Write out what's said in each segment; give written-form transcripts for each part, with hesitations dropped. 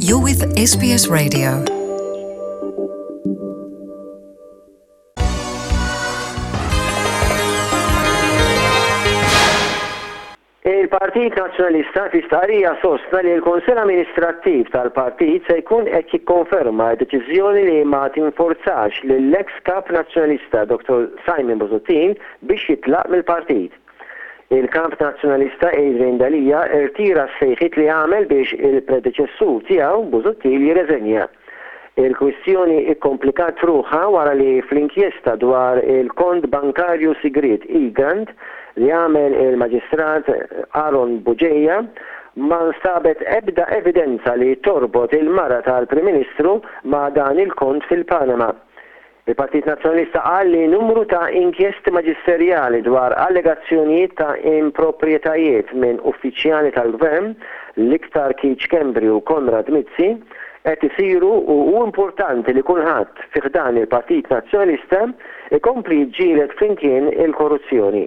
You're with SBS Radio. Il-Partit Nazzjonalista fi stqarrija sostna li l-Kunsill Amministrattiv tal-Partit se jkun qed jikkonferma d-deċiżjoni li ma tinforzax lill-eks Kap Nazzjonalista Dottor Simon Busuttil biex jitlaq mill-Partit. Il-Kap Nazzjonalista Adrian Delia rtira s-sejħiet li għamel biex il-predeċessur tiegħu, Busuttil, jirreżenja. Il-kwistjoni kkomplikat ruħha wara li fl-inkjesta dwar il-kont bankarju sigriet Egrant li għamel il-Maġistrat Aaron Bugeja ma nstabet ebda evidenza li torbot il-mara tal-Prim Ministru ma' dan il-kont fil-Panama. Il-Partit Nazzjonalista qal li numru ta' inkjesti maġisterjali dwar allegazzjonijiet ta' improprjetajiet minn uffiċjali tal-Gvern, l-iktar Keith Schembri u Konrad Mizzi, qed isiru u hu importanti li kulħadd fi ħdan il-Partit Nazzjonalista jkompli jiġġieled flimkien il-korruzzjoni.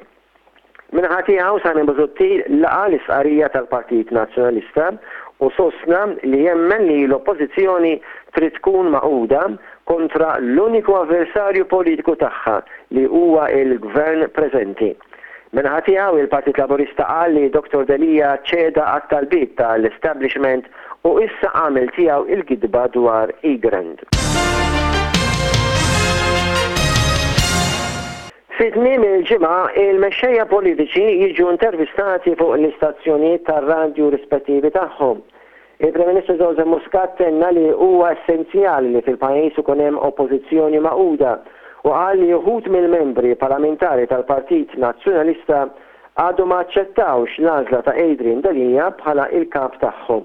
Min-naħa tiegħu, Simon Busuttil laqa' l-istqarrija tal-Partit Nazzjonalista u sostna li jemmen li l-Oppożizzjoni trid tkun magħquda kontra l-uniku avversarju politiku tagħha li huwa l-Gvern preżenti. Min-naħa tiegħu, il-Partit Laburista qal li Dottor Delia ċeda għat-talbiet tal-establishment u issa għamel tiegħu il-gidba dwar Egrant. Fi tmiem il-ġimgħa, il-mexxejja politiċi jiġu intervistati fuq l-istazzjonijiet tar-radju rispettivi tagħhom. Il-Prim Ministru Joseph Muscat tenna li huwa essenzjali li fil-pajjiż ikun hemm Oppożizzjoni magħquda u qal li uħud mill-membri parlamentari tal-Partit Nazzjonalista għadhom ma aċċettawx l-għażla ta' Adrian Delia bħala l-Kap tagħhom.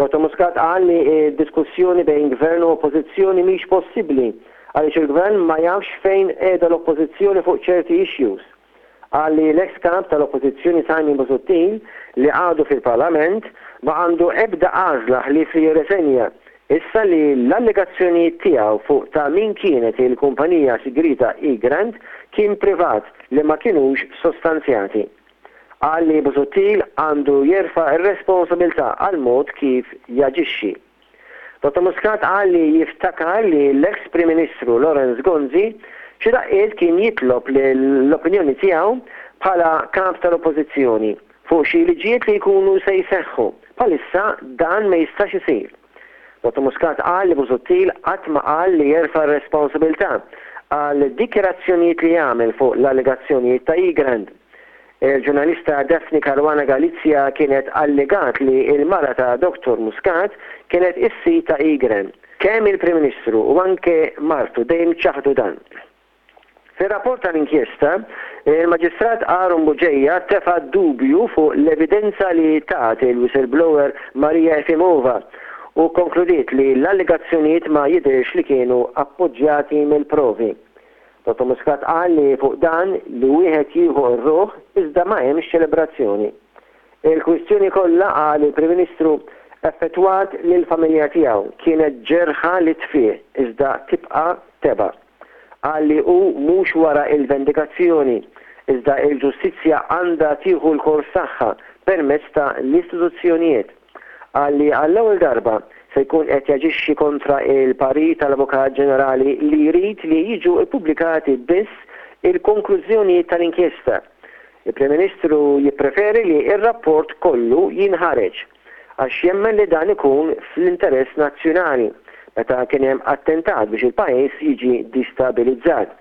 Dottor Muscat qal li d-diskussjoni bejn Gvern u Oppożizzjoni mhix possibbli għaliex il-Gvern ma jafx fejn qiegħda l-Oppożizzjoni fuq ċerti issues. Qal li l-eks Kap tal-Oppożizzjoni Simon Busuttil li għadu fil-Parlament ma għandu ebda għażla ħlief li jirreżenja issa li l-allegazzjonijiet tiegħu fuq ta' min kienet il-kumpanija sigrieta Egrant kien privat li ma kinux sostanzjati. Qal li Busuttil għandu jerfa' r-responsabilità għall-mod kif jaġixxi. Dottor Muscat qal li jiftakar li l-eks Prim Ministru Lawrence Gonzi xi daqqiet kien jitlob l-opinjoni tiegħu bħala Kap tal-Oppożizzjoni fuq xi liġijiet li jkunu se jseħħu. Bħalissa dan ma jistax isir. Dottor Muscat qal li Busuttil qatt ma qal li jerfa' r-responsabilità għal dikjarazzjonijiet li għamel fuq l-allegazzjonijiet ta' Egrant. Il-ġurnalista Daphne Caruana Galizia kienet allegat li l-mara ta' Dottor Muscat kienet is-sid ta' Egrant. Kemm il-Prim Ministru u anke martu dejjem ċaħdu dan. Fir-rapport tal-inkjesta, il-Maġistrat Aaron Bugeja tefa' dubju fuq l-evidenza li tat il-whistleblower Maria Efimova u kkonkludiet li l-allegazzjonijiet ma jidhirx li kienu appoġġjati mill-provi. Dottor Muscat qal li fuq dan li wieħed jieħu r-ruħ iżda ma hemmx ċelebrazzjoni. Il-kwistjoni kollha, qal il-Prim Ministru, effettwat lill-familja tiegħu, kienet ġerħa li tfieq iżda tibqa' tebgħa. Qal li hu mhux wara l-vendikazzjoni, iżda l-ġustizzja għandha tieħu l-kors tagħha permezz ta' l-istituzzjonijiet. Qal li għall-ewwel darba se jkun qed jaġixxi kontra l-parir tal-Avukat Ġenerali li jrid li jiġu ppubblikati biss il-konklużjonijiet tal-inkjesta. Il-Prim Ministru jippreferi li r-rapport kollu jinħareġ. għax jemmen li dan ikun fl-interess nazzjonali meta kien hemm attentat biex il-pajjiż jiġi distabilizzat.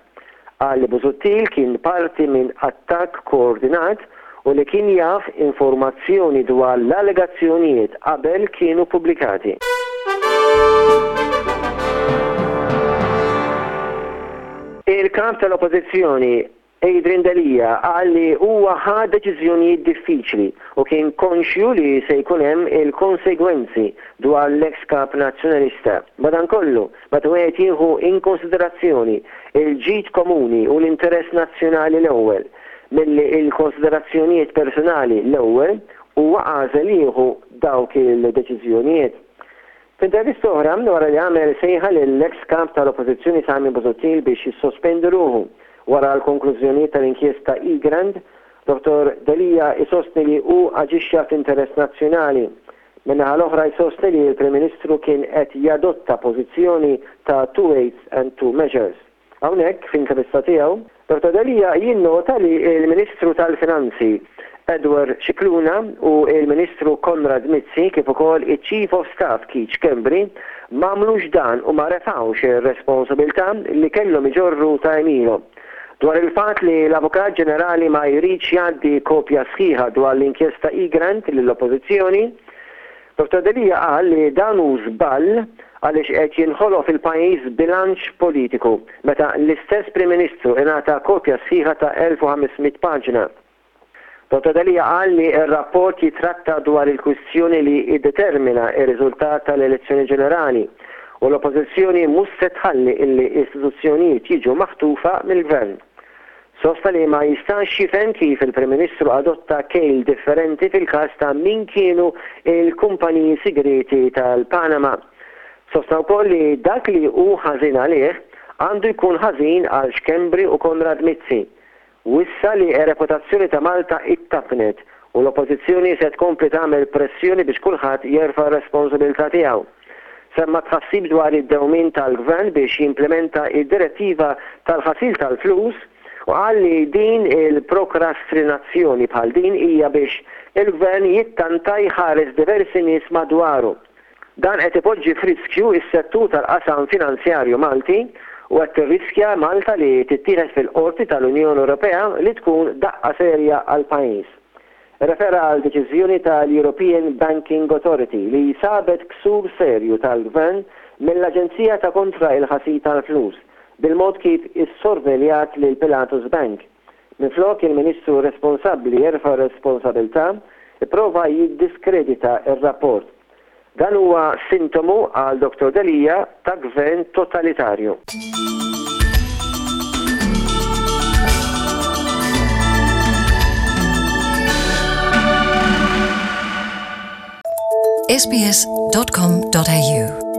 Qal li Busuttil kien parti minn attakk koordinat u li kien jaf informazzjoni dwar l-allegazzjonijiet qabel kienu ppubblikati. Il-Kap tal-Oppożizzjoni Adrian Delia qal li huwa ħa deċiżjonijiet diffiċli u kien konxju li se jkun hemm il-konsegwenzi dwar l-eks Kap Nazzjonalista. Madankollu, meta wieħed jieħu inkonsiderazzjoni l-ġid komuni u l-interess nazzjonali l-ewwel, milli l-konsiderazzjonijiet personali l-ewwel, huwa għażel li jieħu dawk il-deċiżjonijiet. F'intervista oħra, wara li għamel sejħa lill-eks Kap tal-Oppożizzjoni Simon Busuttil biex jissospendi ruħu wara l-konklużjonijiet tal-inkjesta Egrant, Dottor Delia isostni li hu aġixxa fl-interess nazzjonali. Min-naħa l-oħra jsostni li l-Prim Ministru kien qed jadotta pożizzjoni ta' two weights and two measures. Hawnhekk, f'intervista tiegħu, Dottor Delia jinnota li l-Ministru tal-Finanzi Edward Scicluna u l-Ministru Konrad Mizzi kif ukoll iċ-Chief of Staff Keith Schembri m'għamlux dan u ma refgħux ir-responsabiltà li kellhom iġorru ta' għemilhom. Dwar il-fatt li l-Avukat Ġenerali ma jridx jgħaddi kopja sħiħa dwar l-inkjesta Egrant lill-Oppożizzjoni, Dottor Delia qal li dan hu żball għaliex qed jinħoloq fil-pajjiż bilanċ politiku meta l-istess Prim Ministru ingħata kopja sħiħa ta' 1,500 paġna. Dottor Delia qal li r-rapport jitratta dwar il-kwistjoni li iddetermina r-riżultat tal-elezzjoni ġenerali u l-Oppożizzjoni mhux se tħalli illi istituzzjonijiet jiġu maħtufa mill-Gvern. Sostna li ma jistax jifhem kif il-Prim Ministru adotta kejl differenti fil-każ ta' min kienu l-kumpaniji sigrieti tal-Panama. Sostna wkoll li dak li hu ħażin għalih għandu jkun ħażin għal Schembri u Konrad Mizzi. Wissa li r-reputazzjoni ta' Malta ittappnet u l-Oppożizzjoni se tkompli tagħmel pressjoni biex kulħadd jerfa' r-responsabilità tiegħu. Semma tħassib dwar id-dewmien tal-Gvern biex jimplimenta d-direttiva tal-ħasil tal-flus u qal li din il-prokrastrinazzjoni bħal din hija biex il-Gvern jittanta jħares diversi nies madwaru. Dan qed ipoġġi f'riskju s-settur tal-qasam finanzjarju Malti u qed tirriskja Malta li tittieħed fil-Qorti tal-Unjoni Ewropea li tkun daqqa serja għall-pajjiż. Irrefera għal deċiżjoni tal-European Banking Authority li sabet ksur serju tal-Gvern mill-Aġenzija ta' Kontra il-Ħasil tal-Flus bil-mod kif issorveljat lil Pilatus Bank. Minflok il-Ministru responsabbli jerfa' r-responsabilità, ipprova jiddiskredita r-rapport. Dan huwa sintomu, qal Dottor Delia, ta' gvern totalitarju. sbs.com.au.